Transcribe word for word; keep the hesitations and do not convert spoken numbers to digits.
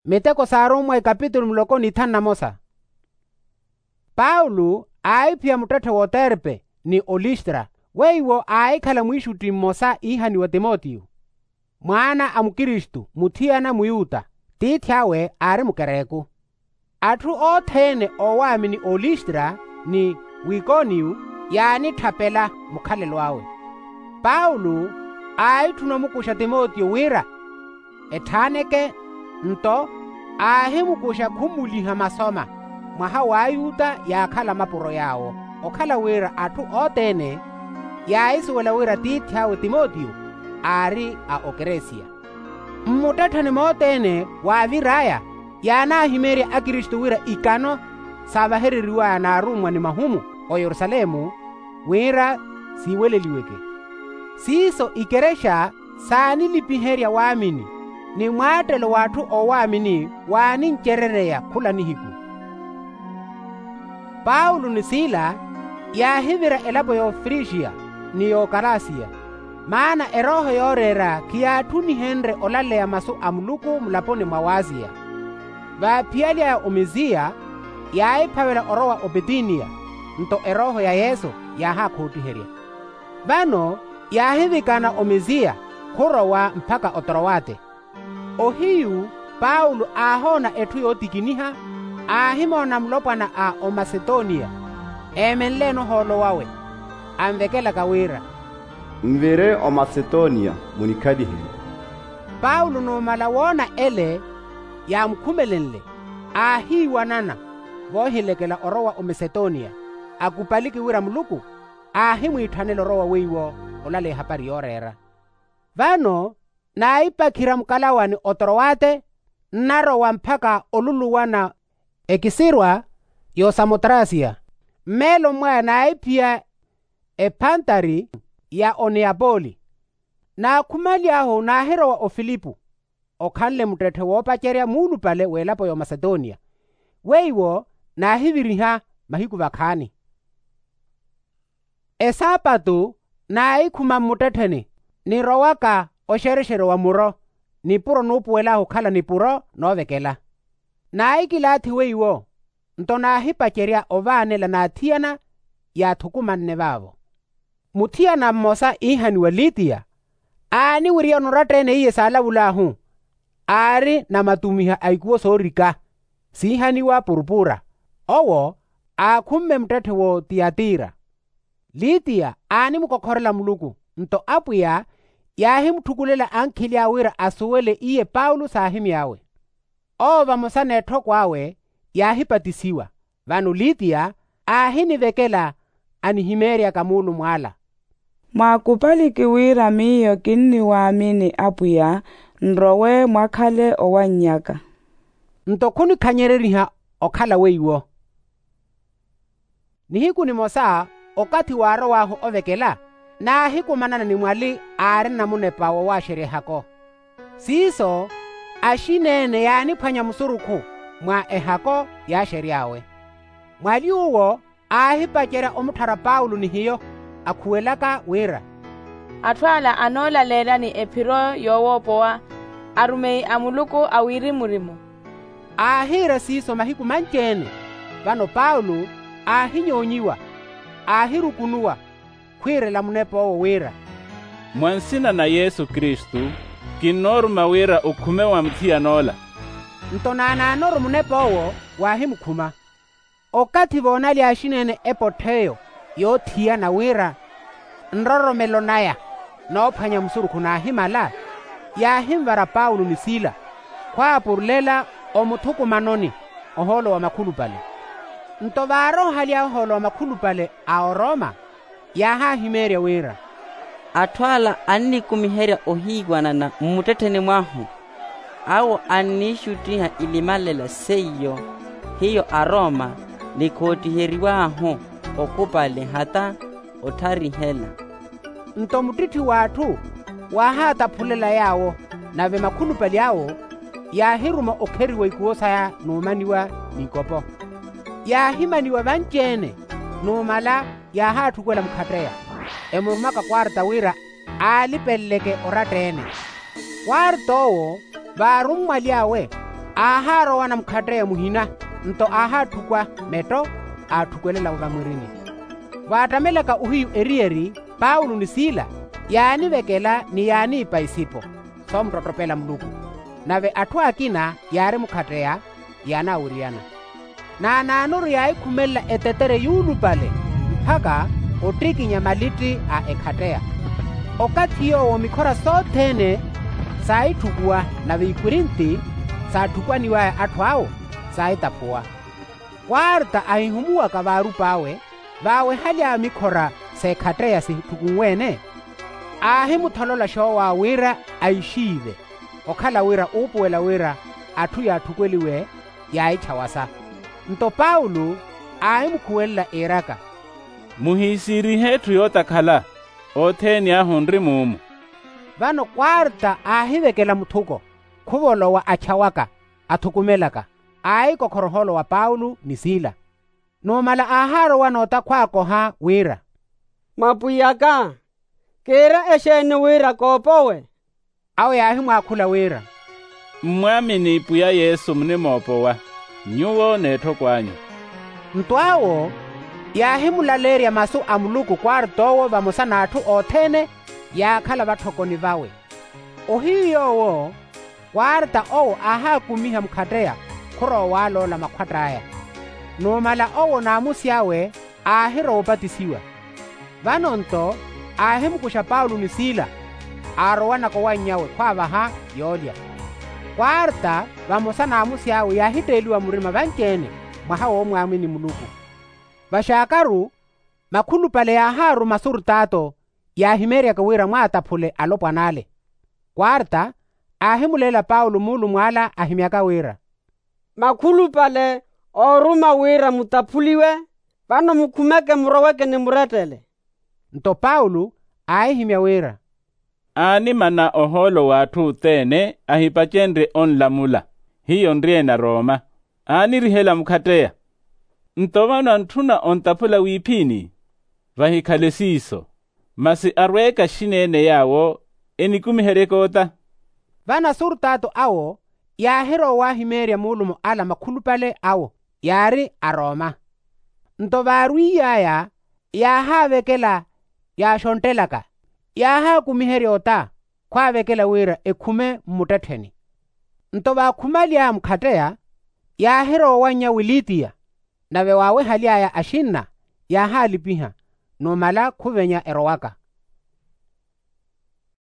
Miteko s'arummwa ikapitulu muloko n'ithanu na mosa. Paulo aahiphiya muttetthe w'oterpe ni olistra weiwo aahikhala mwiixutti mmosa iihaniwa timotiyo, mwaana a mukristu muthiyana muyuta, tiithi awe aari mukereku. Atthu othene oowaamini oolistra ni wikoniyo yaanitthapela mukhalelo awe. Paulo aahitthuna omukuxa timotiyo wira etthaaneke, nto aahimukuxa khummuliha masoma mwaha w'ayuta yaakhala mapuro yaawo, okhala wira atthu othene yaahisuwela wira tiithi awe timotiyo aari a okeresiya. Mmuttettheni mothene waavir'aya yaanaahimeerya akristu wira ikano saavahereriw'aya n'arummwa ni mahumu oyerusalemu wira siiweleliweke. Siiso ikerexa saanilipiherya waamini ni mwaattelo w'atthu oowaamini waanincerereya khula nihiku. Paulo ni sila yaahivira elapo y'ofrigiya ni y'okalasiya, maana erooho yooreera khiyaatthunihenrye olaleya masu a muluku mulaponi mwa waziya. Vaaphiyaly'aya omisiya yaahiphavela orowa opitiniya, nto erooho ya yesu yaahaakhoottiherya. Vano yaahivikana omisiya khurowa mpakha otorowate. Ohiyu paulo aahoona etthu yootikiniha, aahimoona mulopwana a omasetoniya eemenleene ohoolo wawe, anvekelaka wira, nvire omasetoniya munikhaliherye. Paulo numala woona ele yaamukhumelenle, aahiiwanana voohilekela orowa omasetoniya, akupaliki wira muluku aahimwiitthanela orowa weiwo olaleya ehapari yooreera. Vano naahipakhira mukalawani otorowate, nnarowa mpakha oluluwana ekisirwa y'osamotrasiya. Mmeeloni mwaya naahiphiya ephantari ya oniyapoli. Naakhumaly'ahu naahirowa ofilipo, okhanle muttetthe woopacerya muulupale w'elapo y'omasetoniya, weiwo naahiviriha mahiku vakhaani. Esaapatu naahikhuma mmuttettheni nirowaka oxerexero wa muro, nipuro nuupuwel'ahu okhala nipuro noovekela. Naahikilaathi weiwo, nto naahipacerya ovaanela n'athiyana yaathukumanne vaavo. Muthiyana mmosa iihaniwa litiya aaniwiriyana oratta-ene iye saalavul'ahu, aari namatumiha a ikuwo soorika siihaniwa purupura. Owo aakhumme muttetthe w'otiyatira. Litiya aanimukokhorela muluku, nto apwiya yaahimutthukulela ankhili awe wira asuwele iye paulo saahimy'awe. Owo vamosa n'etthoko awe yaahipatisiwa. Vano litiya aahinivekela anihimeeryaka muulumw'ala, mwaakupaliki wira miyo kinniwaamini apwiya, nrowe mwakhale owannyaka. Nto khunikhanyereriha okhala weiwo. Nihiku nimosa okathi waarow'ahu ovekela, naahikumanana ni mwali aarina munepa wowaaxerya ehako. Siiso axineene yaaniphwanya musurukhu mwa ehako yaaxery'awe. Mwali uwo aahipacerya omutthara paulo ni hiyo, akhuwelaka wira, atthu ala anoolaleela ni ephiro yoowoopowa arumeyi a muluku a wirimu-rimu. Aahiira siiso mahiku manci-ene. Vano paulo aahinyoonyiwa, aahirukunuwa, khwiirela munep'owo wira, mwa nsina na yesu kristu, kinnooruma wira okhume wa muthiyan'ola. Nto naanaanoru munep'owo waahimukhuma. Okathi voonalya axineene epottho eyo yoothiyana wira nroromelo naya noophwanya musurukhu naahimala, yaahinvara paulo ni sila khwaapurulela omuthukumanoni ohoolo wa makhulupale. Nto vaaroohaly'aya ohoolo wa makhulupale a oroma, yaahahimeerya wira, atthu ala annikumiherya ohiiwanana mmuttettheni mwahu, awo anniixuttiha ilimalela seiyo hiyo aroma nikhootiheriw'ahu okupale hata otharihela. Nto muttitthi w'atthu waahaataphulela yaawo, nave makhulupale awo yaahiruma okheriwa ikuwo saya n'umaniwa n'ikopo. Yaahimaniwa vanci-ene, numala yaahaatthukela mukhatteya, emurumaka kwarta wira aalipeleleke oratta-ene. Kwarta owo vaarummwaly'awe Aahaarowana mukhatteya muhina, nto aahaatthukw'a metto, aatthukwelela'vo vamwirini. Vaattamelaka ohiyu eriyeri, paulo ni sila yaanivekela ni yaaniipa isipo, soomuttottopela muluku. Nave atthu akina yaari mukhatteya, yaanaawiriyana. Naanaanoru yaahikhumelela etetere yuulupale, mpakha ottikinya malitti a ekhatteya. Okathi yoowo mikhora sothene saahitthukuwa, nave ikwirinti saatthukwaniw'aya atthu awo, saahitaphuwa. Kwarta ahihumuwaka vaarup'awe, vaawehaly'awe mikhora s'ekhatteya sitthukunwe-ene, aahimutholola xoow'awe wira aixiive, okhala wira uupuwela wira atthu yaatthukweliwe, yaahitthawasa. Nto paulo aahimukhuwelela, iiraka, muhiisiirihe etthu yootakhala, othene ahu onri muumu. Vano kwarta aahivekela muthuko, khuvolowa athyawaka, athukumelaka, aahikokhora ohoolo wa paulo ni sila. Numala aahaarowa nootakhwaakoha wira, mapwiy'aka, kiira exeeni wira koopowe? Awo yaahimwaakhula wira, mmwaamini pwiya yesu munimoopowa, nyuwo n'etthoko anyu. Nto awo yaahimulaleerya masu a muluku kwart'owo vamosa n'atthu othene yaakhala vatthokoni vawe. Ohiyu yoowo kwarta owo aahaakumiha mukhatteya, khurowa owaaloola makhwatt'aya. Numala owo n'amusi awe aahirowa opatisiwa. Vano-nto aahimukuxa paulo ni sila, aarowanaka owanny'awe khwaavaha yoolya. Kwarta vamosa n'amusi awe yaahitteeliwa murima vanci-ene, mwaha woomwaamini muluku. Vaxaakaru makhulupale yaahaaruma asurtaato, yaahimeeryaka wira mwaataphule alopwan'ale. Kwarta aahimuleela paulo muulumw'ala ahimyaka wira, makhulupale ooruma wira mutaphuliwe, vano mukhumeke muroweke ni murettele. Nto paulo aahihimya wira, aanimana ohoolo w'atthu othene ahipacenrye onlamula, hiyo nri-ene arooma, aanirihela mukhatteya. Nto vano antthuna ontaphula wiiphini, vahikhale siiso, masi arweeke axina-ene yaawo enikumiheryeke ota. Vano asurtaato awo yaahirowa owahimeerya muulumo ala makhulupale awo yaari arooma. Nto vaarwiiy'aya yaahaavekela yaaxonttelaka, yaahaakumiherya ota khwaavekela wira ekhume mmuttettheni. Nto vaakhumaly'aya mukhatteya yaahirowa owannya wilitiya, nave waawehaly'aya axinna yaahaalipiha, numala khuvenya erowaka.